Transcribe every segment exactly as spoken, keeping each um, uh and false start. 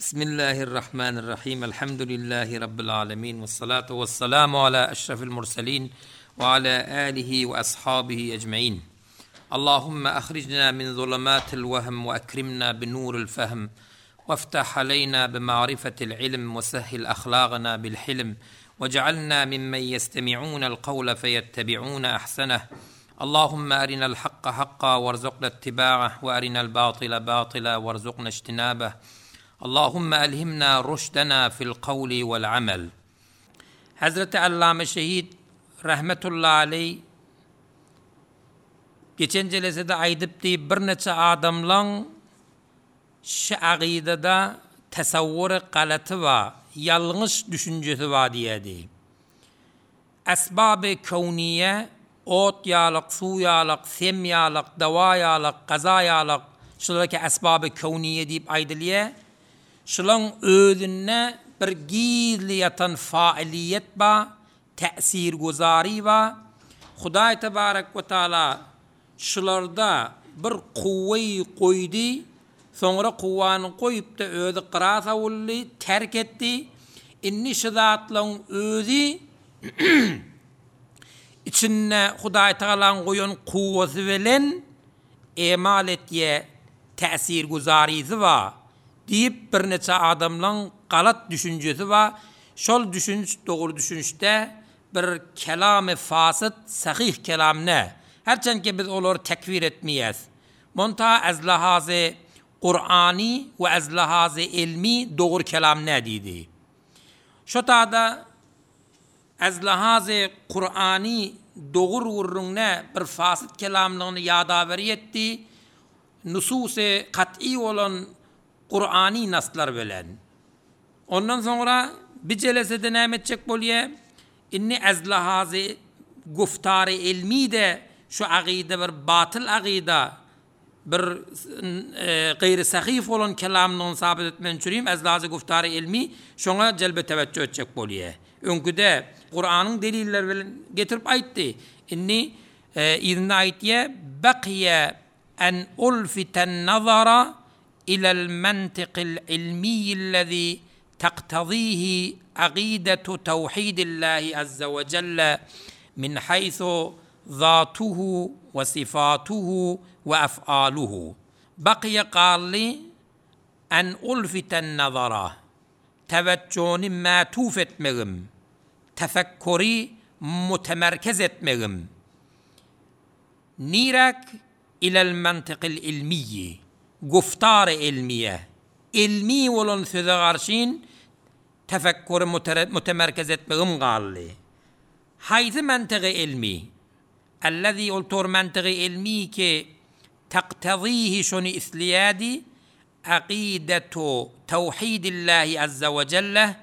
Bismillahirrahmanirrahim. Elhamdülillahi Rabbil alemin. Ve salatu ve selamu ala eşrefil murselin ve ala alihi ve ashabihi ecmain. Allahümme ahricna min zulematil vehm ve ekrimna bi nuril fehm. وافتح علينا بمعرفة العلم وسهل أخلاقنا بالحلم واجعلنا ممن يستمعون القول فيتبعون أحسنه اللهم أرنا الحق حقا وارزقنا اتباعه وأرنا الباطل باطلا وارزقنا اجتنابه اللهم ألهمنا رشدنا في القول والعمل Hazreti Allame Şehit rahmetullahi aleyh geçen jelesede aýdypdy birnäçe adamlaň şu agydada tasawwury galaty bar, ýalňyş düşünjesi bar diýdi. Esbaby kewniýe ot ýalyk, suw ýalyk, sem ýalyk, dawa ýalyk, gaza ýalyk, şularki esbaby kewniýe diýip aýdylýar. Şulaň özünde bir gizli ýatan failiýet bar, täsir guzary bar. Hudaý tebarek we taala şularda bir kuwweý goýdy, soňra kuwwany goýup da özi gyra sawuldy, terk etdi. Inni şu zatlaryň özi içinde Hudaý Tagalaň goýan kuwwasy bilen emal etýä täsir guzarysy bar diýip birnäçe adamlaryň galat düşünjesi bar. Şol düşünç dogry düşünçde bir kelamy fasyt, sahih kelam ne. Herçenki biz olary tekfir etmeýäs. Monta ez lahazy Kur'ani we ez lahazy ilmi dogry kelam ne diýdi. Şo tada ez lahazy Kur'ani dogry gurrun ne bir fasyt kelamlygyny ýada etdi. Nususy kat'i olan Kur'ani naslar bilen. Ondan sonra bir jelesede näme etjek bolýar? Inni ez lahazy guftary ilmi de şu agyda bir batyl agyda bir e, gaýry sahih olan kelamyny sabit etmen üçin ez lahazy guftary ilmi şoňa jelbe teveccüh etjek bolýar. Öňküde Kur'anyň delilleri bilen getirip aýtdy. Inni e, izinde aýtýar baqiya en ulfiten nazara ila al-mantiq al-ilmi allazi تقتضيه عقيدة توحيد الله عز وجل من حيث ذاته وصفاته وأفعاله. بقي قال لي أن ألفت النظر توجهني ما توفت مغم تفكري متمركز مغم نيرك إلى المنطق العلمي گفتار علmiye ilmi olan söze garşyn tefekkürü mütemerkez etmegim galdy. Haýsy mantygy ilmi? Allazi ol mantygy ilmi ki taqtazihi şony isleýädi aqidetu tawhidillahi azza we celle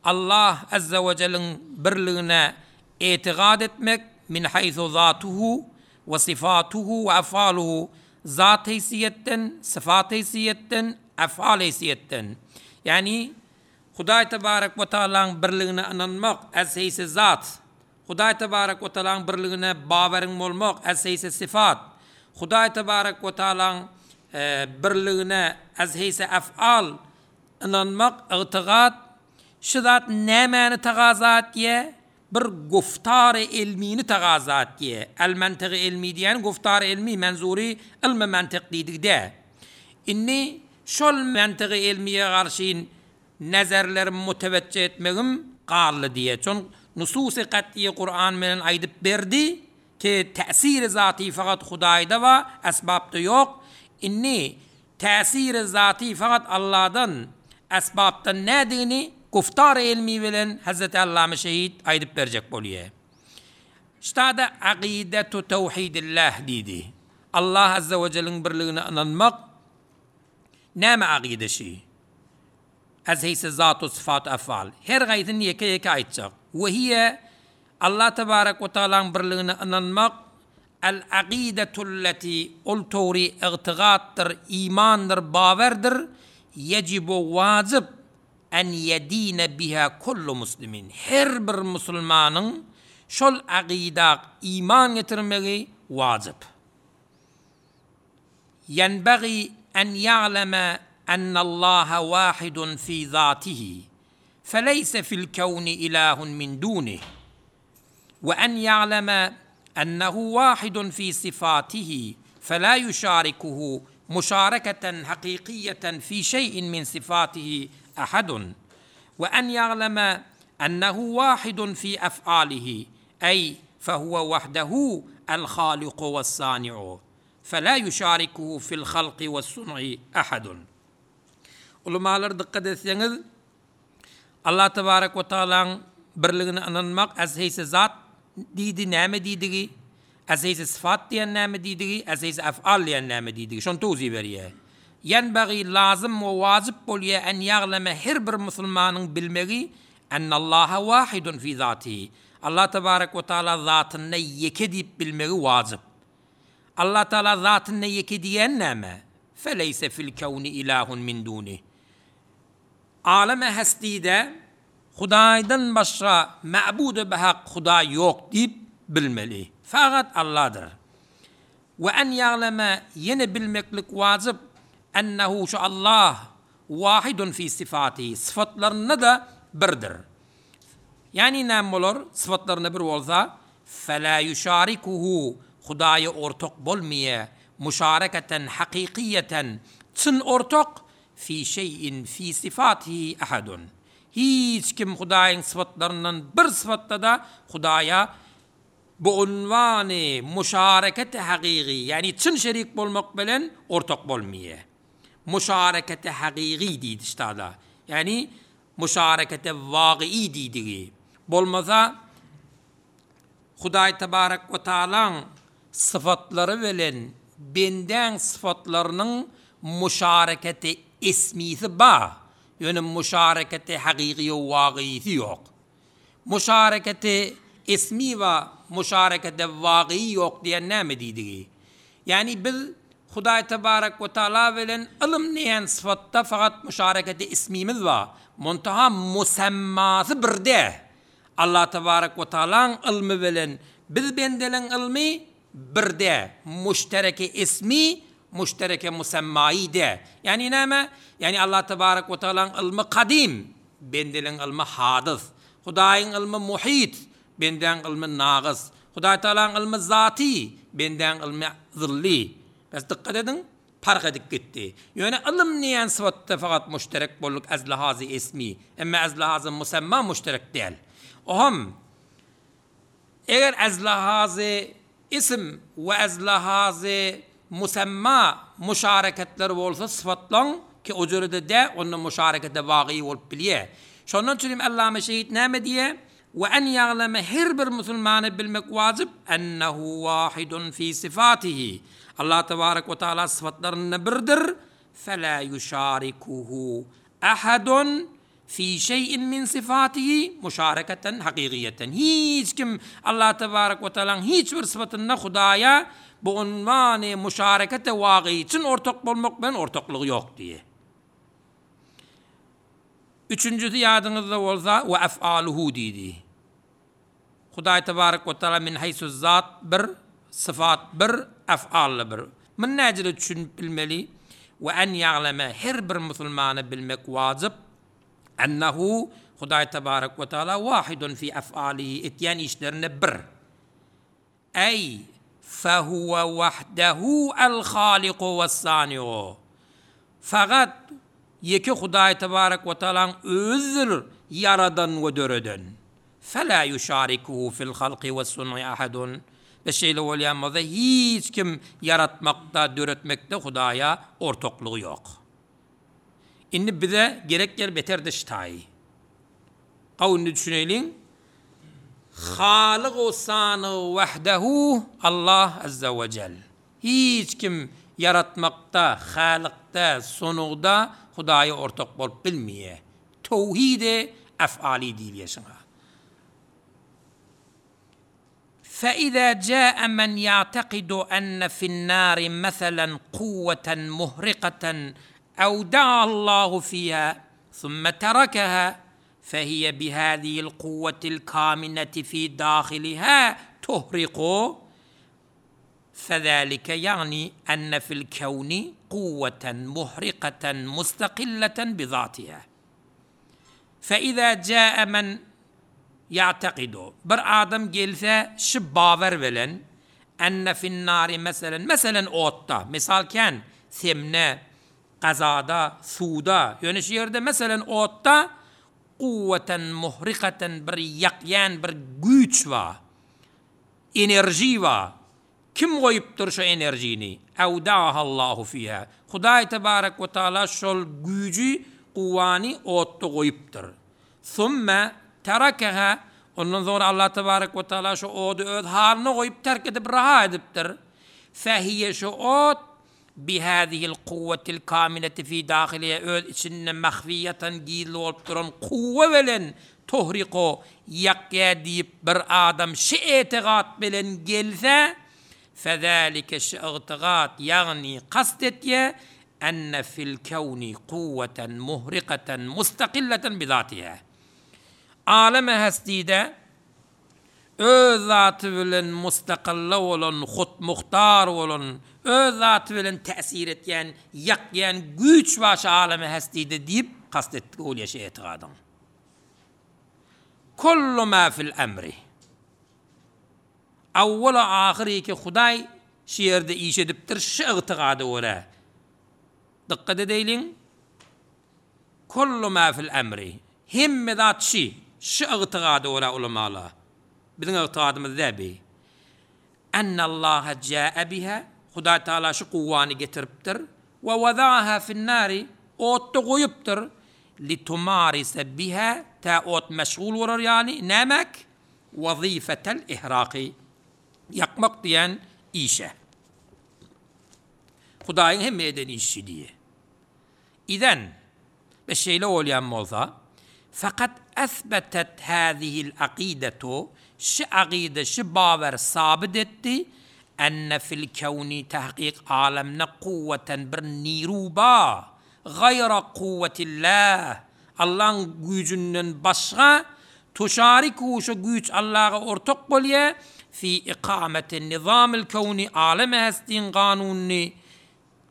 Allah azza we celle'in birligine etiqad etmek min haythu zatuhu we sifatuhu we afaluhu zat heysiyetden, sıfat heysiyetden, afal heysiyetden. Yani Hudaý tebarek we taalaň birligine inanmak ez heysi zat. Hudaý tebarek we taalaň birligine bawerin bolmak ez heysi sıfat. Hudaý tebarek we taalaň e, birligine ez heysi afal inanmak, i'tiqad şu zat nämäni tagaza etýär? Bir guftary ilmini tagaza etýär. El mantygy ilmi diýen guftary ilmi menzuri ilmi mantyk diýdigde. Inni şol mantygy ilmiye garşy nazarlarym muteveccih etmegim galdy diýe. Çon nusus-y kat'iye Kur'an bilen aýdyp berdi ki täsir zati fakat Hudaýda we esbapda ýok. Inni täsir zati fakat Allah'dan esbapdan nädigini guftar ilmi bilen Hazreti Allame Şehit aýdyp berjek bolýar. Ştada aqidetu tawhidillah diýdi. Allah azza we celle'in birligine inanmak näme aqideşi? Ez heyse zat sıfat afal. Her gaýtyn ýeke ýeke aýtjak. We hiye Allah tebarek we taalaň birligine inanmak el aqidetu allati ol tawri i'tiqaddyr, imandyr, bawerdir. Yecibu wajib en yedine biha kullu muslimin. Her bir musulmanyň şol aqida iman getirmegi wajib. Yenbagi en ya'leme ennallaha wahidun fi zatihi feleyse fil kevni ilahun min dunih ve en ya'leme ennehu wahidun fi sifatihi fela yuşarikuhu müşareketen hakikiyeten fi şeyin min sifatihi ahadun ve en ya'leme ennehu wahidun fi ef'alihi ey fehuve vahdehu el haliku ve sani'u fela yuşarikuhu fil halqi ve sun'i ahadun. Ulamalar dikkat etseniz Allah tebarek ve teala'nın birligini inanmak az heyse zat diýdi näme diýdigi, az heyse sıfat diýen näme diýdigi, az heyse ef'al diýen näme diýdigi. Şonu towzi berýär. Yenbagi lazım we wajib bolýar en ýaglama her bir musulmanyň bilmegi ennallaha wahidun fi zatihi. Allah tebarek ve teala zatynda ýeke diýip bilmegi wajib. Allah Teala zatynda ýeke diýen näme? Feleyse fil kevni ilahun min duni. Aleme hestide Hudaýdan başga ma'budu behak Hudaý ýok diýip bilmeli. Fakat Allah'dır. Ve en ya'leme yine bilmeklik wajib ennehu şu Allah wahidun fi sifatihi. Sıfatlarına da birdir. Yani näme bolar? Sıfatlarına bir bolsa fela yuşarikuhu Hudaýa ortak bolmaýa müşareketen hakikiyeten çyn ortak fi şeyin fi sifatihi ahadun. Hiç kim Hudaýyň sıfatlaryndan bir sıfatda da Hudaýa bu unwany müşareketi hakiki yani çyn şerik bolmak bilen ortak bolmaýa. Müşareketi hakiki diýdi ştada. Yani müşareketi wagyi diýdigi. Bolmasa Hudaý tebarek we taalaň sıfatlary bilen benden sıfatlarynyň müşareketi ismisi ba. Ýöne müşareketi hakiki we wagýisi ýok. Müşareketi ismi we müşareketi wagyi ýok diýen näme diýdigi? Yani biz Hudaý tebarek we taala bilen ylym diýen sıfatda fakat müşareketi ismimiz bar. Muntaha musammasy birde. Allah tebarek we taalaň ylmy bilen biz bendeleň ylmy birde, müştereke ismi, müştereke musammayi de. Yani näme? Yani Allah tebarek we taalaň ylmy kadim, bendeleň ylmy hadys. Hudaýyň ylmy muhit, bendäň ylmy nagys. Hudaý taalaň ylmy zati, bendäň ylmy zilli. Bes dikkat edin, park edip gitti. Ýöne ylym diýen sıfatda fakat müşterek bolduk az lihazy ismi, emma az lihazy musamma müşterek däl. Oham eger az lihazy isim we az lihazy musamma müşareketler bolsa sıfatlaň ki o jörede de onun müşarekete wagyi bolup bilýär. Şondan üçin Allama şehit näme diýe? Ve en ya'leme her bir musulmany bilmek wajib ennehu wahidun fi sifatihi. Allah tebarek ve taala sıfatlarynda birdir. Fela yuşarikuhu ahadun fi şeyin min sifatihi müşareketen hakikiyeten. Hiç kim Allah tebarek ve teala'nın hiç bir sıfatynda Hudaýa bu unwany müşarekete wagyi üçin ortak bolmak bilen ortaklygy ýok diýe. Üçüncüsü ýadyňyzda bolsa ve ef'aluhu diýdi. Hudaý tebarek ve teala min haysu zat bir, sıfat bir, ef'al bir. Min näjele düşünip bilmeli ve en ya'leme her bir musulmany bilmek wajib ennehu Hudaý tebarek ve teala wahidun fi ef'alihi etýän işlerinde bir. Ey fehuve vahdehu el haliku ve sani'u. Fakat ýeke Hudaý tebarek ve teala'nın özüdir yaradan we döreden. Fela yuşarikuhu fil halqi ve sun'i ahadun. Ve şeýle bolýan bolsa hiç kim yaratmakda, döretmekde Hudaýa ortaklygy ýok. Indi bize gerek yer beter de ştaý. Gawuny düşüneýliň. Halyk sany wahdehu Allah azza we cel. Hiç kim yaratmakda, halykda, sonugda Hudaýa ortak bolup bilmeýär. Tawhid-i ef'ali diýilýär şoňa. فإذا جاء من يعتقد أن في النار مثلا قوة مهرقة أودع الله فيها ثم تركها فهي بهذه القوة الكامنة في داخلها تهرق Fezalike ýagny enne fil kewni kuwweten muhrikaten mustakilleten bi zatiha. Fe iza jaa men ýa'takidu bir adam gelse şu bawer bilen enne fin nari meselen meselen otda misal kän semne gazada suwda ýöne şu ýerde meselen otda kuwweten muhrikaten bir ýakýan bir güýç bar enerji bar kim goýupdyr şu enerjini awdahallahu fiha Hudaý tebarek we taala şol güýji kuwwany otda goýupdyr Thumma terakaha ondan soňra Allah tebarek we taala şu ody öz halyna goýup terk edip raha edipdir. Fehiye şu ot bihadihil kuwwetil kamileti fi dahiliye öz içinde mahfiyatan gizli bolup duran kuwwe bilen tohriko ýakýa diýip bir adam şu etigat bilen gelse fezalike şu itigat ýagny kast etýä enne fil kewni kuwweten muhrikaten mustakilleten bizatiha. Aleme hestide öz zaty bilen mustakilla bolan, hut muhtar bolan, öz zaty bilen täsir etýän, ýakýan güýç baş aleme hestide diýip kast etdi ol ýeşe etigadyň. Kullu ma fil emri. Awwala ahyry ki Hudaý şu ýerde iş edipdir, şu itigada görä. Dikkat edeýliň. Kullu ma fil emri. Hemme zat şi, şu itigada görä ulamala. Biziň itigadymyz däbi. Ennallaha jaa biha Hudaý Taala şu kuwwany getiripdir we wadaha finnari otda goýupdyr litumarise biha ta ot meşgul bolar ýaly nämek wazifetel ihraqi ýakmak diýen işe. Hudaýyň hemme eden işi diýe. İden be şeýle bolýan bolsa fakat esbetet hâzihil akidetu şu akide şu bawer sabit etdi enne fil kevni tahkik alemne kuvveten bir niruba gayra kuvvetillah Allah'ın gücünden başga tuşariku şu güç Allah'a ortak bolýa fi ikameti nizamil kevni aleme hestin kanuny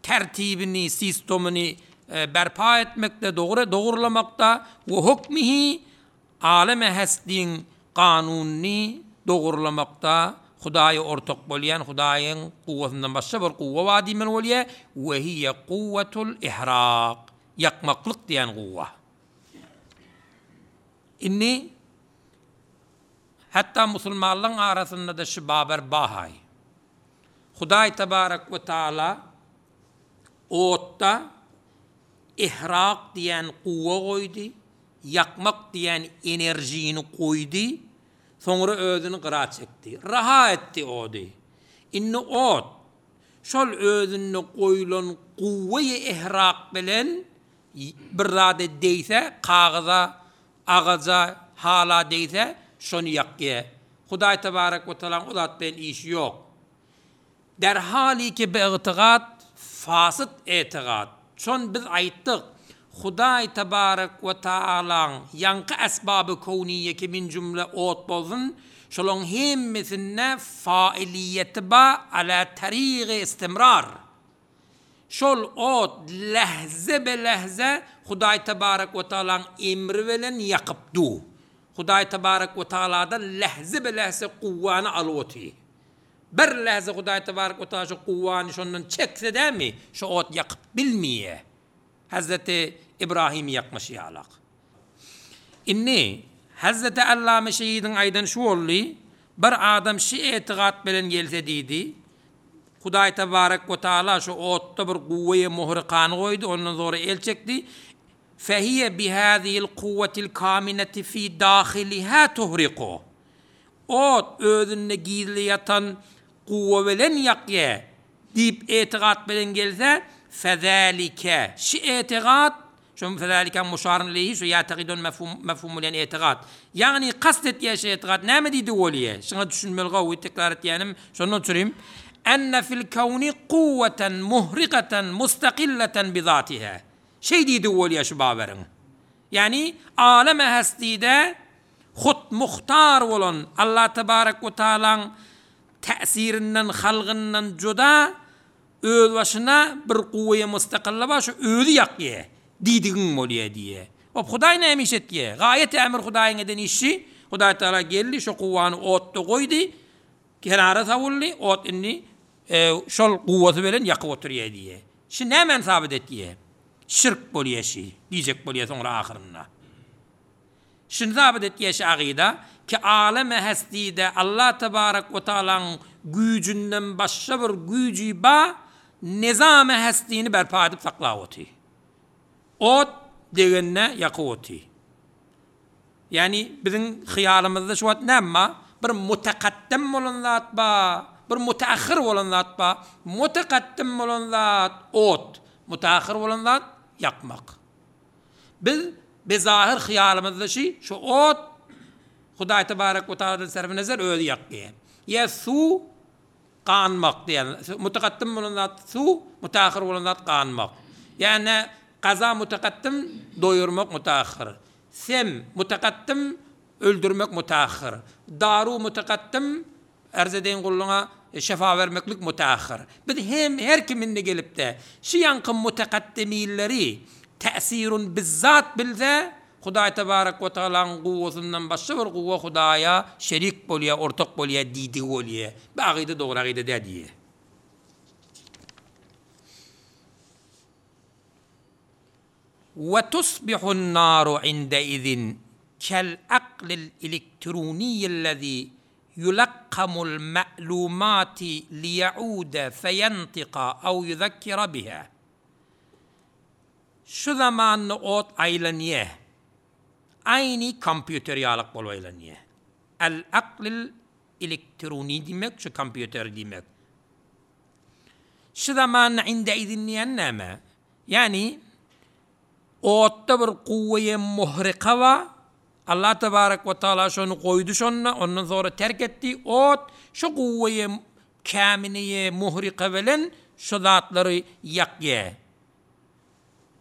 tertibini sistemini berpa etmekte doğru doğrulamakta ve hukmihi aleme hestin kanuny dogurlamakda Hudaýy ortak bolýan Hudaýyň kuwwatyndan başga bir kuwwa bar diýmeli bolýar we hiýe kuwwatul ihraq ýakmaklyk diýen kuwwa. Inni hatta musulmanlaryň arasynda da şu babar bahay. Hudaý tebarek we taala otda ihraq diýen kuwwa goýdy, ýakmak diýen enerjini goýdy. Soňra özüni gyra çekdi. Raha etdi ody. Inni ot şol özünde goýulan kuwweyi ihraq bilen bir zat deýse, kagyza, agaja, hala deýse, şony ýakýa. Hudaý tebarek we taala o zat bilen işi ýok. Derhali ki be itigat fasit itigat. Şon biz aýtdyk. Hudaý tebarek we taalaň ýaňky esbaby kowniýe ki min jümle ot bolsun, şolaň hemmesine failiýeti ba ala tarigi istimrar. Şol ot lehze be lehze Hudaý tebarek we taalaň emri bilen ýakyp du. Hudaý tebarek we taaladan lehze be lehze kuwwany alyp. Bir lehze Hudaý tebarek we taala şu kuwwany şondan çekse dämi, şu ot ýakyp bilmeýär. Hazreti İbrahim yakmış yalak. Inni Hazreti Allame Şehidin aydan şu oldu. Bir adam şu etigat bilen gelse diýdi. Hudaý tebarek we taala şu otda bir kuwweye muhrikany goýdy, ondan sonra el çekdi. Fehiye bihadihil kuvvetil kamineti fi dahiliha tuhriqu. Ot özünde gizli ýatan kuwwe bilen ýakýa diýip etigat bilen gelse fezalike şu etigat şu fezalike muşarun lehi şu ya'taqidun mefhum mefhumul yani etigat. Yani kast etýä şu etigat näme diýdi bolýa? Şuňa düşünmeli gawy tekrar etýänim şondan çürüm. Enne fil kawni kuwweten muhrikaten mustakilleten bi zatiha. Şey diýdi bolýa şu baberin. Yani aleme hestide hut muhtar bolan Allah tebarek we taalaň täsirinden, halgyndan juda öz başyna bir guwweýe mustakilla bar, şu özi ýakýa diýdigiň bolýa diýe. O Hudaý näme iş etýä? Gaýet emir Hudaýyň eden işi, Hudaý Taala geldi, şu guwwany otda goýdy, kenara sawuldy, ot indi e, şol guwwasy bilen ýakyp oturýa diýe. Şi näme sabit etýä? Şirk bolýa şi, diýjek bolýa soňra ahyrynda. Şini sabit etýä şi agyda ki aleme hestide Allah tebarek we taalaň güýjünden başga bir güýji ba nizam hestini berpa edip saklap oty. Ot degende ýakyp oty. Yani biziň hyýalymyzda şu wagt näme? Bir mutakaddim bolan zat ba, bir mutaahhir bolan zat ba. Mutakaddim bolan zat ot, mutaahhir bolan zat ýakmak. Biz bezahir hyýalymyzda şi şu ot Hudaý tebarek we taaladan sarf nazar özi ýakýar. Ýa su ganmak diýen. Mutakaddim bolan zat su, mutaahhir bolan zat ganmak. Ýani gaza mutakaddim doýurmak mutaahhir. Sem mutakaddim öldürmek mutaahhir. Daru mutakaddim arz edeýin gulluňa şefa vermeklik mutaahhir. Biz hem her kiminde gelip de şi ýanky mutakaddimilleri täsirun bizzat bilse Hudaý tebarek we taalaň guwwasyndan başga bir guwwa Hudaýa şerik bolýa, ortak bolýa diýdigi bolýa. Bu agyda dogry agyda dä diýe. Ve tusbihun naru indeizin kel aqlil elektroniyyellezî yulakkamul ma'lumati liyaude feyentika ev yuzekkira biha. Şu zamanny ot aýlanýa. Aynı kompýuter ýalyk bolup aýlanýa. El aqlil elektroni diýmek, şu kompýuter diýmek. Şu zamanny indeizin diýen näme? Yani otda bir guwweýe muhrika bar. Allah tebarek we taala şonu goýdy şonna, ondan sonra terk etdi. Ot şu guwweýe käminiye muhrika bilen şu zatlary ýakýa.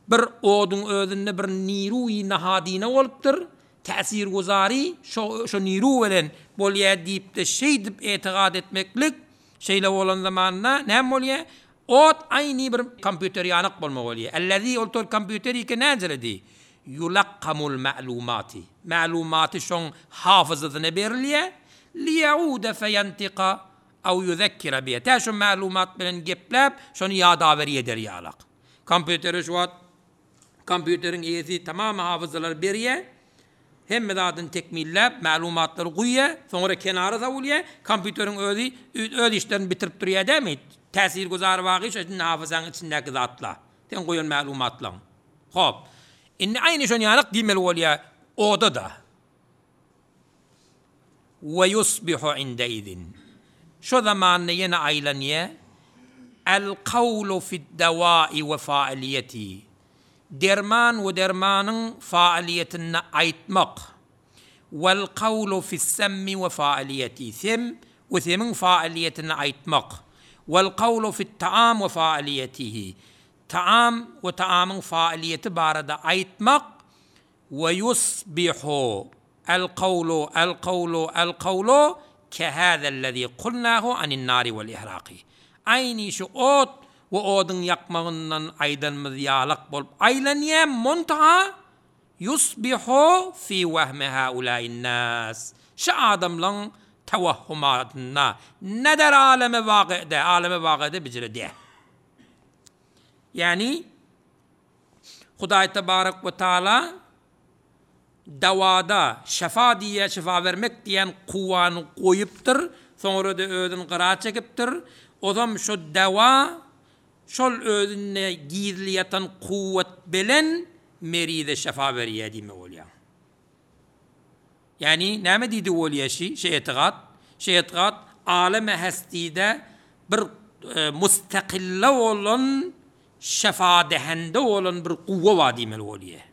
Bir odun özünde bir niruý nahadine bolupdyr. Täsir guzary şo şo niru bilen bolýa diýip de şeýdip etigat etmeklik şeýle bolan zamanda näme bolýa? Ot aýny bir kompýuter ýanyk bolma bolýa. Allazi ol tor kompýuter ike näjeledi? Yulakkamul ma'lumati. Ma'lumati şoň hafızasyna berilýä. Liyaude feyantika aw yuzekkira biha. Ta şu ma'lumat bilen gepläp şonu ýada berýär ýalak. Kompýuteri şu wagt kompýuteriň eýesi tamam hafızalar berýär. Hemme zadyny tekmilläp, ma'lumatlary guýýar, soňra kenara sawulýar, kompýuteriň özi öz işlerini bitirip durýar dämi? Täsir guzar wagy şu hafızaň içindäki zatlar. Sen goýan ma'lumatlaň. Hop. Indi aýny şonu ýalyk diýmeli bolýar oda da. Ve yusbihu indeizin. Şu zamanny ýene aýlanýar. El kawlu fi'd-dawai we fa'iliyeti. Derman we dermanyň faaliyetini aýtmak. Wal qawlu fi's-sammi we faaliyeti. Sem we semiň faaliyetini aýtmak. Wal qawlu fi't-ta'am we faaliyetihi. Ta'am we ta'amyň faaliyeti barada aýtmak. Ve yusbihu el qawlu el qawlu el qawlu kehâzellezî kulnâhu anin-nâri vel ihrâki. Aýny şu ot we oduň ýakmagyndan aýdanmyz ýalyk bolup aýlanýa montaha yusbihu fi wahmi haulâin nas. Şu adamlaň tawahhumatynda neder aleme wagyde, aleme wagyde bijire diýe. Yani Hudaý tebarek we taala dawada şefa diýe şefa vermek diýen kuwany goýupdyr, soňra da özün gyra çekipdir. Ozam şu dawa şol özüne gizli ýatan kuwwat bilen meride şefa berýär diýme bolýar. Yani näme diýdi bolýar şi? Şe etigat, şe etigat aleme hestide bir e, mustakilla bolan şefa dehende bolan bir kuwwa bar diýmeli bolýar.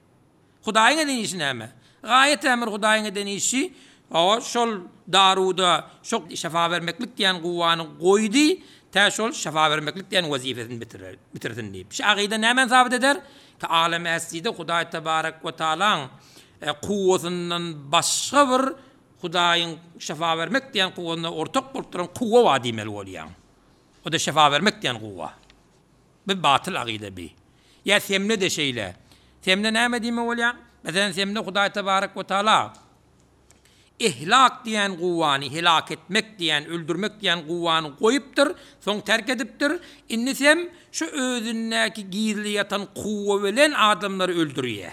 Hudaýyň eden işi näme? Gaýet emir Hudaýyň eden işi o şol daruda şok şefa vermeklik diýen kuwwany goýdy, ta şol şefa vermeklik diýen wezifesini bitirer, bitirsin diýip. Şu agyda näme sabit eder? Ki alem hestide Hudaý tebarek we taalaň e, kuwwasyndan başga bir Hudaýyň şefa bermek diýen kuwwasyna ortak bolup duran kuwwa bar diýmeli bolýaň. O da şefa bermek diýen kuwwa. Bu batyl agyda bi. Ýa semne de şeýle. Semne näme diýme bolýaň? Meselem semne Hudaý tebarek we taala ihlak diýen kuwwany, helak etmek diýen, öldürmek diýen kuwwany goýupdyr, soň terk edipdir. Indi sem şu özündäki gizli ýatan kuwwa bilen adamlary öldürýär.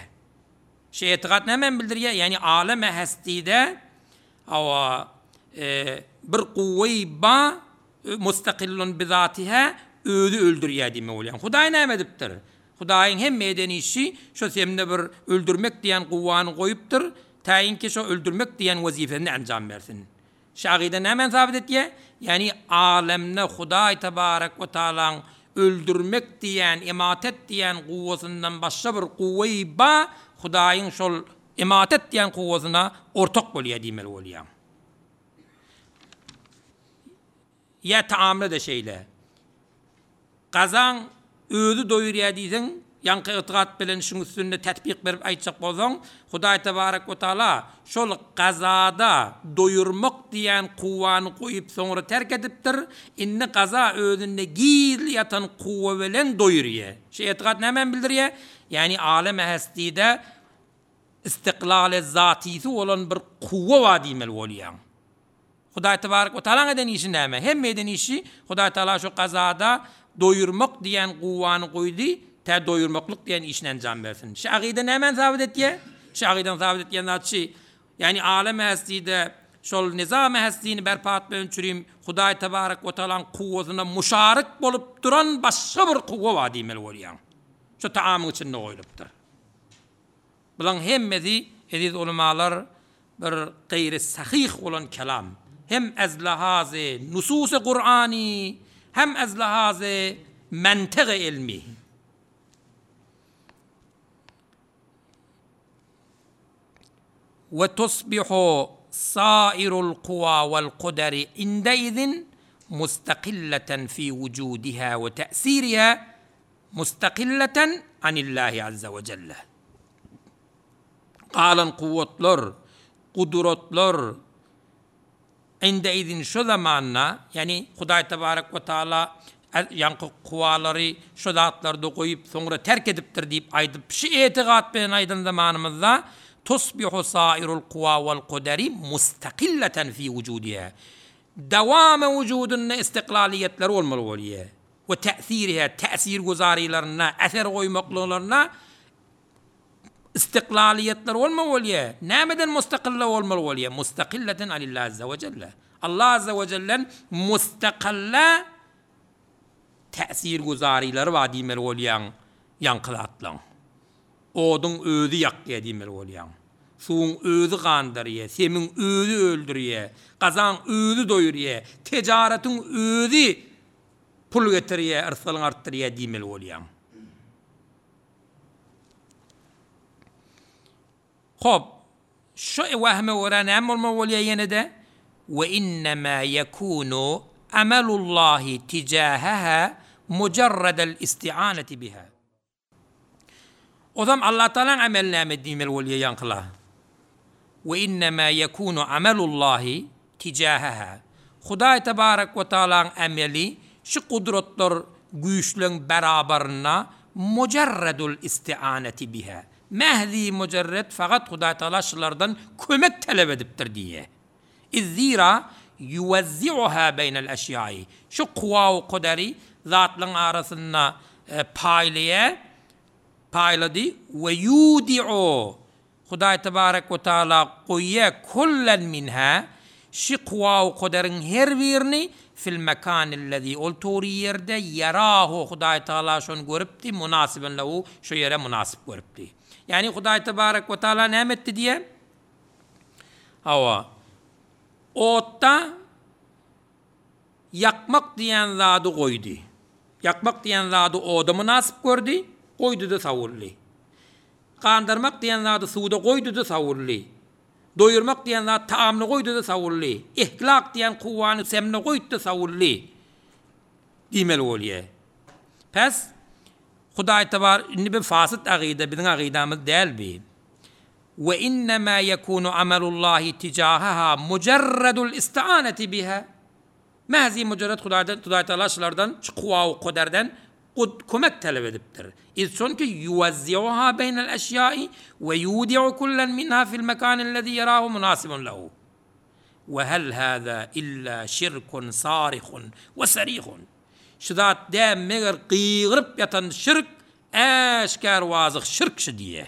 Şu etikat näme bildirýär? Ýani alem hastide awa e, bir kuwwy ba mustakillun bizatiha özi öldürýär diýme bolýar. Hudaý näme edipdir? Hudaýyň hem eden işi şu semne bir öldürmek diýen kuwwany goýupdyr. Täýin ki şu öldürmek diýen wezifesini enjam bersin. Şagyda näme sabit etýär? Ýani alemne Hudaý tebarek we taalaň öldürmek diýen, ematet diýen kuwwasyndan başga bir kuwwy ba Hudaýyň şol ematet diýen kuwwasyna ortak bolýar diýmeli bolýar. Ýa taamla da şeýle. Gazan özi doýurýar diýseň, ýaňky itigat bilen şuň üstünde tatbik berip aýtjak bolsaň, Hudaý tebarek we taala şol gazada doýurmak diýen kuwwany goýup soňra terk edipdir. Indi gaza özünde gizli ýatan kuwwa bilen doýurýar. Şu itigat näme bildirýär? Ýani alem hastide istiklal zatisi bolan bir kuwwa bar diýmeli bolýar. Hudaý tebarek we taala eden işi näme? Hem eden işi Hudaý taala şu gazada doýurmak diýen kuwwany goýdy, tä doýurmaklyk diýen işini enjam bersin. Şu agyda näme sabit etýär? Şu agydan sabit etýän zatçy, ýani alem hastide şol nizam hastini berpa etmek üçin Hudaý tebarek we taalaň kuwwasyna muşarik bolup duran başga bir kuwwa bar diýmeli bolýar. Şu taamyň içinde goýlupdyr. Bulan hemmesi eziz ulamalar bir gaýry sahih bolan kelam. Hem ez lahazy nusus-y Kur'ani, hem ez lahazy mentık-ı ilmi. Ve tusbihu sairul kuva vel kuderi indeizin mustakilleten fi vucudiha ve te'siriha mustakilleten anillahi azze ve celle. Galan kuvvetler, kudretler indeizin şu zamanna, yani Hudaý tebarek ve taala ýaňky kuwalary şu zatlarda goýup soňra terk edipdir diýip aýdyp şu etigat bilen aýdan zamanymyzda tusbihu sairul kuwa wal kuderi mustakilleten fi wujudiha. Dawamy wujudunda istiklaliýetler bolmaly bolýar. We täsiriha, täsir guzarilerine, eser goýmaklaryna istiklaliýetler bolmaly bolýar. Nämeden mustakilla bolmaly bolýar? Mustakilleten alillahi azza we celle. Allah azza we cellen mustakilla täsir guzarileri bar diýmeli bolýan ýaňkylatlaň. Oduň özi ýakýar diýmeli bolýan. Suwuň özi gandyrýar, semiň özi öldürýär, gazan özi doýurýar, ticaretiň özi pul getirýär, yrsalyň artdyrýar diýmeli bolýan. Hop, şu wahme görä näme bolmaly bolýar ýene de? Ve innema yekunu amelullahi tijahaha mujarradal isti'anati biha. O zaman Allah Teala'nın amel näme diýmeli bolýar ýaňkyla? Ve innema yekunu amelullahi tijahaha. Hudaý tebarek we taala'nın ameli şu kudretler güýçleň beraberine mujarradul isti'anati biha. Mehdi mujarrad fakat Hudaý Teala şulardan kömek talep edipdir diýe. İzzira yuwazzi'uha beynel eşyai. Şu kuwa we kuderi zatlaryň arasynda e, paýlaýar, paýlady we yudi'u. Hudaý tebarek we taala goýýar kullen minha şu kuwa we kuderiň her birini fil mekanillezî ol tory ýerde yarahu Hudaý Teala şonu görüpdi, münasiben lehu şu ýere münasip görüpdi. Yani Hudaý tebarek we taala näme etdi diýe? Hawa. Otda ýakmak diýen zady goýdy. Ýakmak diýen zady oda münasip gördi, goýdy da sawuldy. Gandyrmak diýen zady suwda goýdy da sawuldy. Doýurmak diýen zat taamny goýdy da sawuldy. Ihlak diýen kuwwany semne goýdy da sawuldy. Diýmeli bolýar. Pes Hudaý tebar indi bir fasit agyda biziň agydamyz däl bi. Ve innemâ yekûnu amelullâhi ticâheha mucerredul isti'âneti biha. Mäzi mucerred Hudaýdan Hudaý Taala şulardan çykuwa kuderden kömek talep edipdir. İz çünkü yuwazzi'uha beynel eşyai ve yudi'u kullen minha fil mekânillezî yerâhu münasibun lehu. Ve hel hâzâ illa şirkun sârihun ve sarihun. Şu zat däm meger gygyryp ýatan şirk äşgär wazyh şirk şu diýe.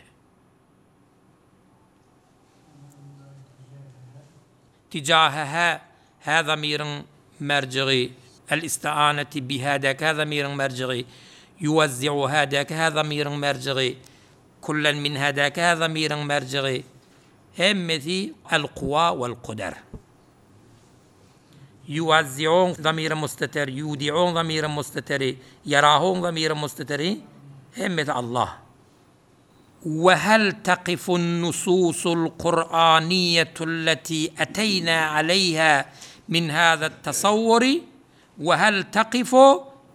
Ticaheha ha zamirin merciği el isti'aneti biha däki ha zamirin merciği yuwazzi'uha däki ha zamirin merciği kullen minha däki ha zamirin merciği hemmesi el kuva vel kuder. Yuwazzi'un zamiri musteter, yudi'un zamiri musteteri, yarahun zamiri musteteri hemmesi Allah. وهل تقف النصوص القرآنية التي أتينا عليها من هذا التصور وهل تقف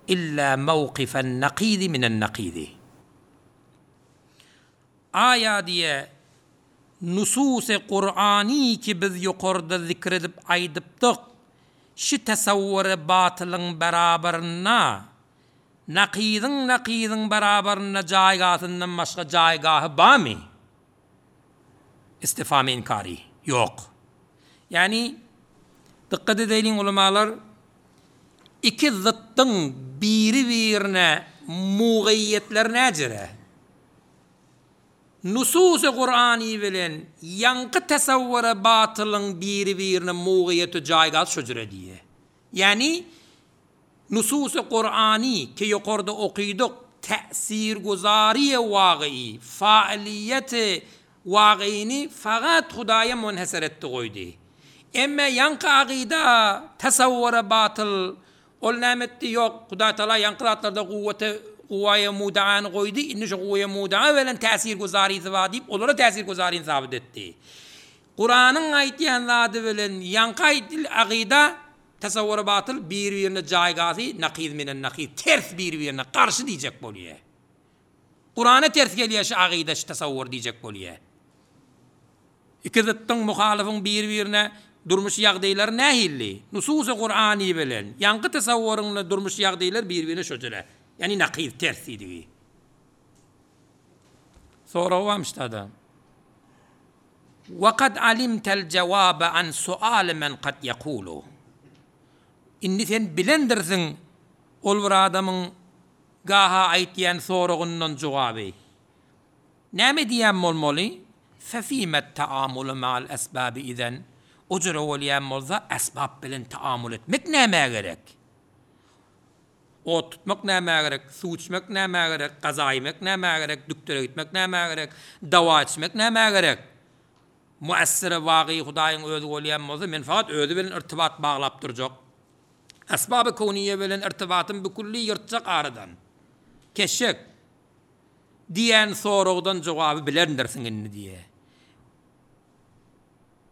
إلا موقف النقيض من النقيض آية diye nusus-ı Kur'ani ki biz yukarıda zikredip aýdypdyk şu tasawwury batylyň beraberine nakyzyň nakyzyň beraberine jaýgasyndan başga jaýgahy bamy? İstifam inkari yok. Yani dikkat edelim ulemalar iki zıttın biri birine mugayyetler näcere? Nusus-ı Kur'ani bilen yankı tasavvura batylyň biri birine mugayyeti jaýgas şöjüre diye. Yani nusus-ı Kur'ani ki yukarıda okuyorduk tesir guzariye vakıi, faaliyeti vakıini fakat Hudaya münhesir etti koydu. Emme yankı akida tasavvura batıl ol nämetdi yok. Huday Teala yankı zatlarda kuvvete kuvvaya mudaanı koydu. İnni şu kuvvaya mudaa velen tesir guzari diýip olara tesir guzarini sabit etti. Kur'an'ın aýtýan zady bilen yankı akida tasavvura batıl bir birine jaýgasy nakiz minen nakiz ters bir birine karşı diýjek bolýar. Kur'an'a ters gelýär şu akida şu tasavvur diýjek bolýar. İki zıttın muhalifin bir birine durmuş ýagdaýlary nähilli? Nusus-u Kur'ani bilen yankı tasavvuryň durmuş ýagdaýlary bir birine şöjele. Yani nakiz ters diýdi. Sonra varmış da. وقد علمت الجواب عن سؤال من قد يقول. Indi sen bilendirsiň ol bir adamyň gaha aýtýan soragyndan jogaby. Näme diýen bolmaly? Fefime taamulu ma'al esbabi izen. O jüre bolýan bolsa esbab bilen taamul etmek näme gerek? Ot tutmak näme gerek? Suw içmek näme gerek? Gaza yemek näme gerek? Düktere gitmek näme gerek? Dawa içmek näme gerek? Muessire vagy Hudaýyň özi bolýan bolsa men fakat özi bilen irtibat baglap durjak. Esbab-ı koniye bilen irtibatın bükülli ýyrtjak aradan. Keşek diýen soragdan jogaby bilendirsiň indi diýe.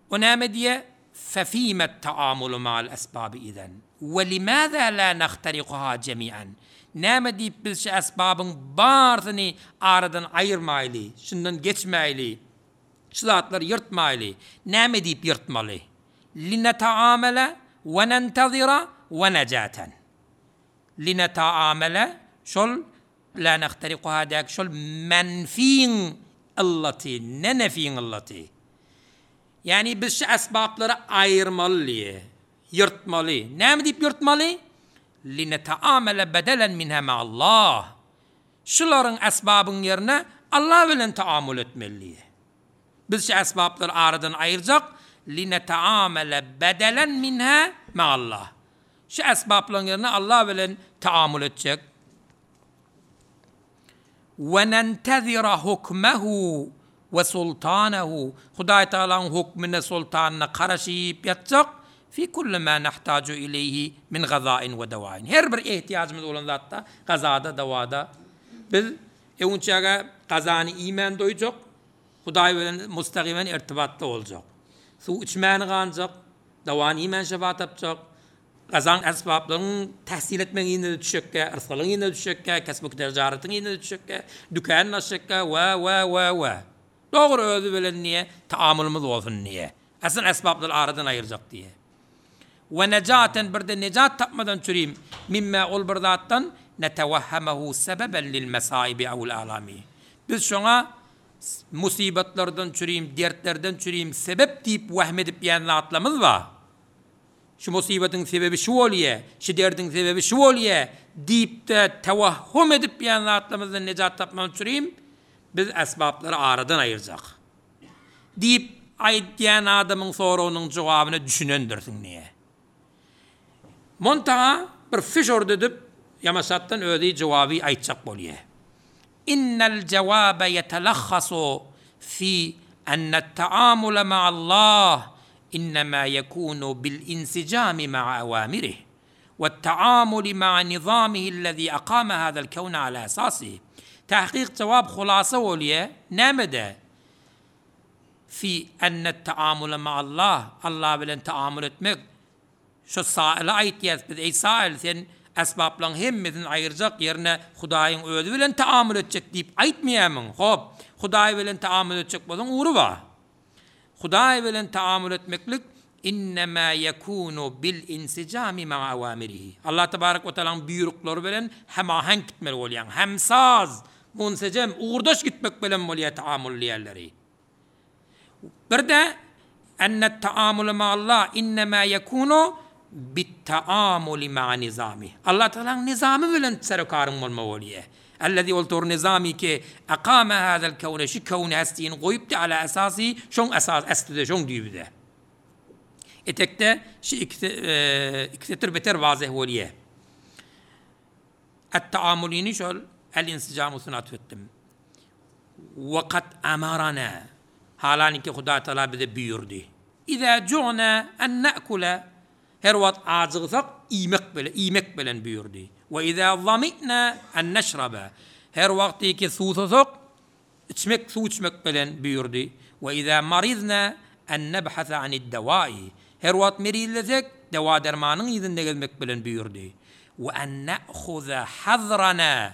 O näme diýe? Fefime taamulu ma'al esbabi izen. Ve limaza la nahtariquha jemi'an. Näme diýip biz şu esbabyň barsyny aradan aýyrmaýly, şundan geçmäýli, şu zatlary ýyrtmaýly. Näme diýip ýyrtmaly? Linetaamele ve nentazira ve necaten. Linetaamele şol la nahtariquha däk şol menfiň illati, ne nefiň illati. Yani biz şu esbaplary aýyrmaly, ýyrtmaly. Näme diýip ýyrtmaly? Linetaamele bedelen minha ma'allah. Şularyň esbabyň ýerine Allah bilen taamul etmeli. Biz şu esbaplary aradan aýyrjak. Linetaamele bedelen minha ma'allah. Şu esbaplaryň ýerine Allah bilen taamul etjek. Ve nentezira hukmehu ve sultanehu. Hudaý Taalanyň hukmine sultanyna garaşyp ýatjak. Fi kulli ma nahtaju ileyhi min gazain ve dawain. Her bir ihtiyacımız olan zatda, gazada, davada biz ewnçäge gazany iýmän doýjak, Hudaý bilen mustaqimen irtibatda boljak. Suw içmäni ganjak, dawany iýmän şefa tapjak, gazan esbaplaryň tahsil etmegiň düşekkä, yrsalyň düşekkä, kesmek tijaretin düşekkä, dükan açjakka we we we we. Dogry özi bilen diýe, taamulymyz bolsun diýe. Aslyn esbaplary aradan aýyrjak diýe. We nejaten bir de nejat tapmadan çürim mimme ol bir zatdan netewehhemehu sebeben lil mesaibi awul alami. Biz şoňa musibetlerden çürim, dertlerden çürim sebep diýip wehm edip ýan zatlamyz bar. Şu musibetin sebebi şu bolýa, şu derdin sebebi şu bolýa diýip de tewahhum edip ýan zatlamyzdan nejat tapmadan çürim biz esbaplary aradan aýyrjak. Diýip aýdýan adamyň soragynyň jogabyna düşünendirsiň niýe. Montaga bir fiş edip ýamaşatdan özi jogaby aýtjak bolýa. Innel cevabe yetelahhasu fi enne taamule ma'allah innema yekunu bil insicami ma'a awamirih ve taamuli ma'a nizamihi allazi aqama hada'l kevne ala esasihi. Tahqiq cevap hulasa bolýa nämede? Fi enne taamule ma'allah Allah bilen taamul etmek şu saile aýtýas biz ey sail sen esbaplaryň hemmesini aýyrjak ýerine Hudaýyň özi bilen taamul etjek diýip aýtmaýamyň. Hop, Hudaý bilen taamul etjek bolsaň ugry bar. Hudaý bilen taamul etmeklik innema yekunu bil insicami ma'a awamirihi. Allah tebarek we taalaň buýruklary bilen hemaheng gitmeli bolýan. Hemsaz, munsecem, ugurdaş gitmek bilen bolýar taamul diýerleri. Bir de enne taamul ma'allah innema yekunu bit taamuli ma'a nizami. Allah Teala'nın nizamı bilen serokarın bolma bolýar. Ellezî oltur nizami ki aqama hada'l kevne şu kevne hestini goýupdy ala esasi şoň esas esli şoň diýibdi. Etekde şu iki iki setir beter wazih bolýar. Et-taamulini şol el-insicamu sunat etdim. Ve kad amarana halani ki Huda Teala bize buyurdu. İza cu'na en na'kula her wagt acygsak iýmek bile iýmek bilen buyurdu. Ve iza zamina en neşrabe her wagty ki suwsasak içmek suw içmek bilen buyurdu. Ve iza marizna en nebhasa anid dawai her wagt merizlesek dewa dermanyň ýüzünde gelmek bilen buyurdu. Ve en na'khuza hazrana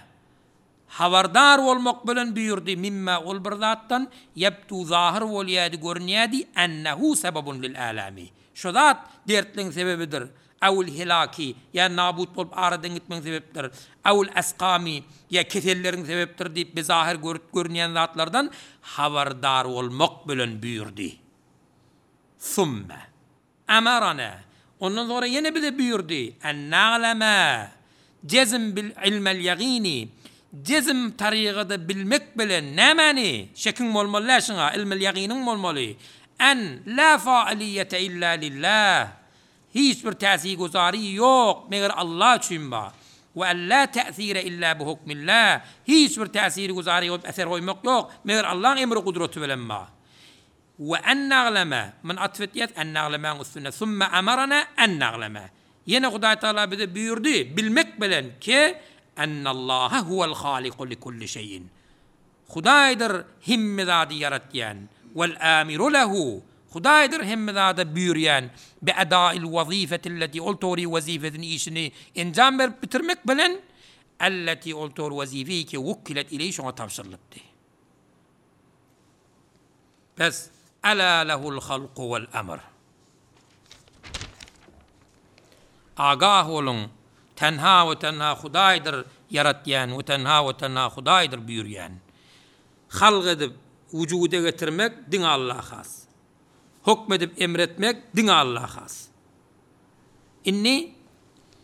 habardar bolmak bilen buyurdu. Mimma ol bir zatdan yebtu zahir bolýady görünýädi ennehu sebebun lil alami. Şu zat dertliň sebebidir. Awul hilaki ya nabut bolup aradan gitmeň sebepdir. Awul asqami ya keselleriň sebepdir diýip bizahir görüp görünýän zatlardan habardar bolmak bilen buyurdu. Summe amarana ondan sonra ýene bize buyurdu. En na'lama jezm bil ilmel yagini jezm tarigada bilmek bilen nämäni şekiň bolmaly şuňa ilmel yaginiň bolmaly. En la faaliyete illa lillah. Hiç bir täsir guzari yok meger Allah üçin bar. Ve en la ta'sire illa bi hukmillah. Hiç bir täsir guzari yok, eser goýmak yok meger Allah'ın emri kudreti bilen bar. Ve en na'lama min atfetiyet en na'lama üstüne summe amarana en na'lama. Yine Hudaý Teala bize buyurdu bilmek bilen ki ennallaha huvel haliku li kulli şeyin. Hudaýdyr hemme zady ýaratýan. Vel amiru lehu Hudaýdyr hemme zada buýurýan bi edail wazifeti allati ol tori wazifetini işini enjam berip bitirmek bilen allati ol tor wazifi ki wukkilet ileý şoňa tabşyrylypdy. Bes ala lehul halku vel emr. Agah olun tenha ve tenha Hudaýdyr ýaratýan ve tenha ve tenha Hudaýdyr buýurýan. Halk edip vücuda getirmek diňe Allaha has. Hukmedip emretmek diňe Allaha has. Inni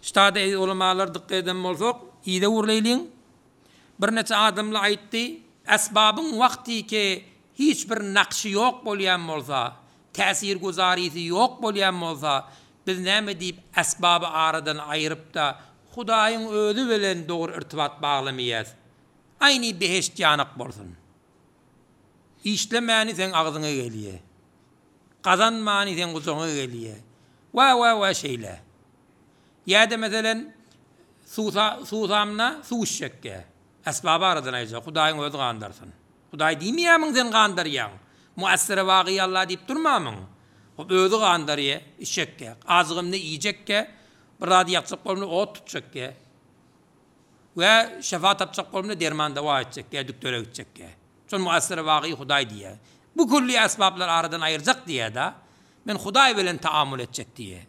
ştada ulamalar dikkat eden bolsak, iyide urlaýlyň. Bir neçe adamla aýtdy, esbabyň wagty ki hiç bir nakşy ýok bolýan bolsa, täsir guzarysy ýok bolýan bolsa, biz näme diýip esbaby aradan aýryp da Hudaýyň özi bilen dogry irtibat baglamaýas. Aýny beheşt ýanak bolsun. İşlemäni sen agzyňa gelýär. Kazanmany sen gujagyňa gelýär. Wa wa wa şeýle. Ýa-da meselen suwsa suwsamna suw içjekge. Esbab aradan aýjak, Hudaýyň özi gandarsyn. Hudaý diýmeýärmiň sen gandarýaň? Muassir wagy Allah diýip durmamyň? Hop özi gandarýa, içjekge. Azygymny iýjekge, bir zady ýakjak bolmly ot tutjakge. We şefa tapjak bolmly derman dawa etjekge, düktöre gitjekge. Şol muassir wagy Hudaý diýýär. Bu külli esbaplar aradan aýyrjak diýýär da. Men Hudaý bilen taamul etjek diýýär.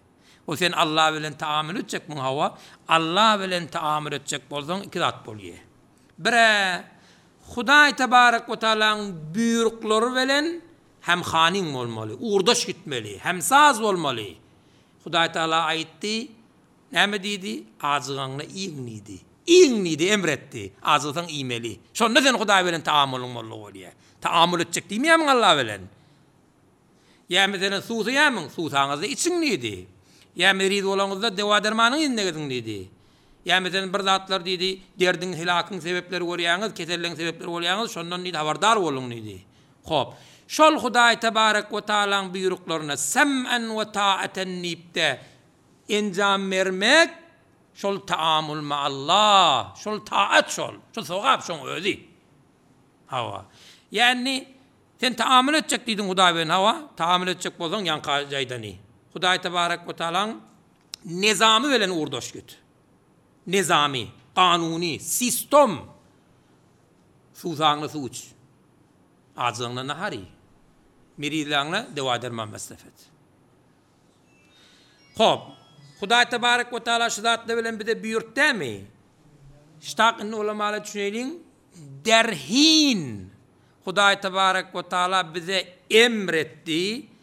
O sen Allah bilen taamul etjek muň hawa? Allah bilen taamul etjek bolsaň iki zat bolýar. Bire Hudaý tebarek we taalaň buýruklary bilen hem hanyň bolmaly, uğurdaş gitmeli, hem saz bolmaly. Hudaý Taala aýtdy, näme diýdi? Ajygaňna iýiň diýdi. Iýiň diýdi, emretdi. Ajygsaň iýmeli. Şonda sen Hudaý bilen taamulyň bolly bolýar. Taamul etjek diýmeýärmiň Allah bilen? Ýa meselen suwsaýamyň, suwsaňyzda içiň diýdi. Ýa meriz bolaňyzda dewa dermanyň indegiň diýdi. Ýa meselen bir zatlar diýdi, derdiň, helakyň sebepleri görýäňiz, keselligiň sebepleri bolýaňyz, şondan diýdi habardar boluň diýdi. Hop. Şol Hudaý tebarek we taalaň buýruklaryna sem'en we ta'aten diýip enjam bermek şol taamul ma Allah, şol taat şol, şol sogap şoň özi. Hawa. Ýani sen taamul etjek diýdiň Hudaý bilen hawa, taamul etjek bolsaň ýanka jaýdany. Hudaý tebarek we taalaň nizamy bilen uğurdaş git. Nizami, kanuni, sistem. Suwsaňly suw iç. Ajygyňna nahari. Merizläňne dewa derman mesref et. Hop. Hudaý tebarek we taala şu zatlar bilen bize buýurtdamy? Ştak indi ulamala düşüneliň. Derhin Hudaý tebarek we taala bize emretdi.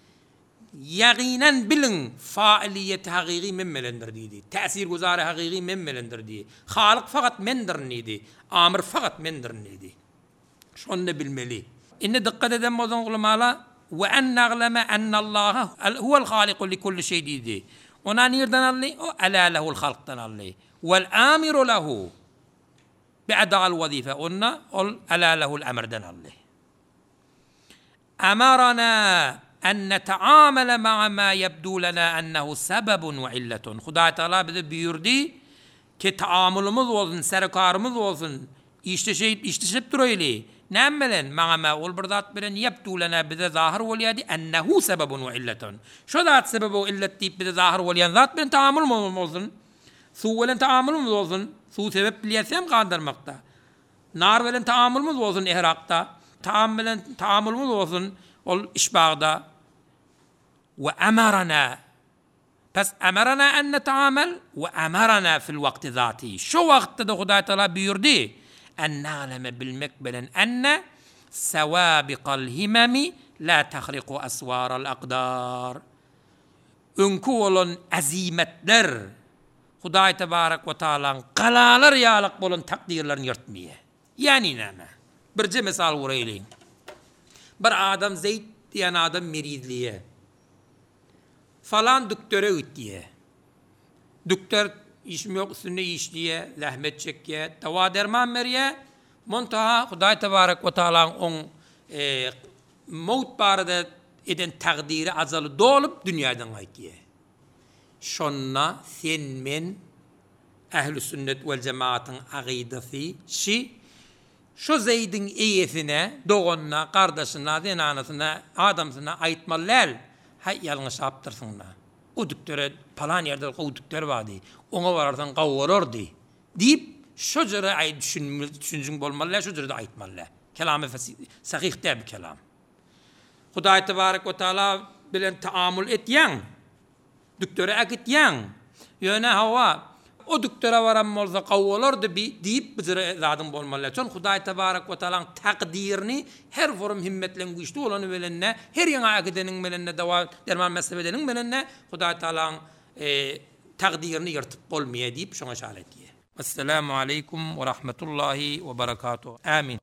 Ýagynan biliň failiyeti hakyky men bilendir diýdi. Täsir guzary hakyky men bilendir diýdi. Halyk fakat mendir diýdi. Amir fakat mendir diýdi. Şonu bilmeli. Indi dikkat eden bolsaň ulamala we en na'leme ennallaha huwal haliku li kulli şey diýdi. Ona nirden aldy? O ala lehul halkdan aldy. Vel amiru lehu bi adal wazife. Onna ol ala lehul emrden aldy. Amarana en neteamele ma'a ma yebdu lena ennehu sebebun ve illetun. Hudaý Teala bize buyurdu ki taamulumuz olsun, serkarımız olsun, işleşip işleşip durayly. Näme bilen? Maňa ma ol bir zat bilen yebdu lena bize zahir bolýardy ennehu sebebun ve illetun. Şu zat sebebi we illet diýip bize zahir bolýan zat bilen taamul bolsun. Suw bilen taamulumuz bolsun. Suw sebep bilýäsem gandyrmakda. Nar bilen taamulumuz bolsun ihrakda. Taam bilen taamulumuz bolsun ol işbagda. Ve amarana Pes amarana en neteamel ve amarana fil vakti zati. Şu wagtda da Hudaý Teala buyurdy. En na'leme bilmek bilen enne sewabiqal himemi la tahriqu aswaral aqdar. Öňkü olan azimetler Hudaý tebarek we taalaň galalar ýalyk bolan takdirlerini ýyrtmaýar. Ýani näme? Birje misal uraýlyň. Bir adam Zeyd diýen adam merizliye. Falan düktöre gitdiye. Dükter işim yok üstünde işliye, zahmet çekiye, dava derman beriye. Montaha Hudaý tebarek we taalaň oň e, mawt barada eden takdiri azaly dolup dünýadan gaýtýar. Şonna sen men ehl-i sünnet vel cemaatyň agydasy şi şu Zeydin eýesine, doganyna, gardaşyna, zenanasyna, adamsyna aýtmaly däl. Hay ýalňyş apdyrsyň. O düktöre palan ýerde gowy dükter bardy. Oňa bararsan gawy bolardy. Diýip şu jere aý düşünjüň bolmaly, şu jere aýtmaly. Kelamy sahih däl kelam. Hudaý tebarek we taala bilen taamul etýän, düktöre äkitýän. Ýöne hawa o düktöre baran bolsa gawy bolardy diýip bizere zadyň bolmaly. Çon Hudaý tebarek we taalaň takdirini her forum himmetleň güýçli bolany bilenne, her ýaňa äkideniň bilenne, dawa derman mesele edeniň bilenne Hudaý taalaň e, takdirini ýyrtyp bolmaýar diýip şoňa işaret etýär. Esselamu aleýkum we rahmetullahi we berekatuh. Amin.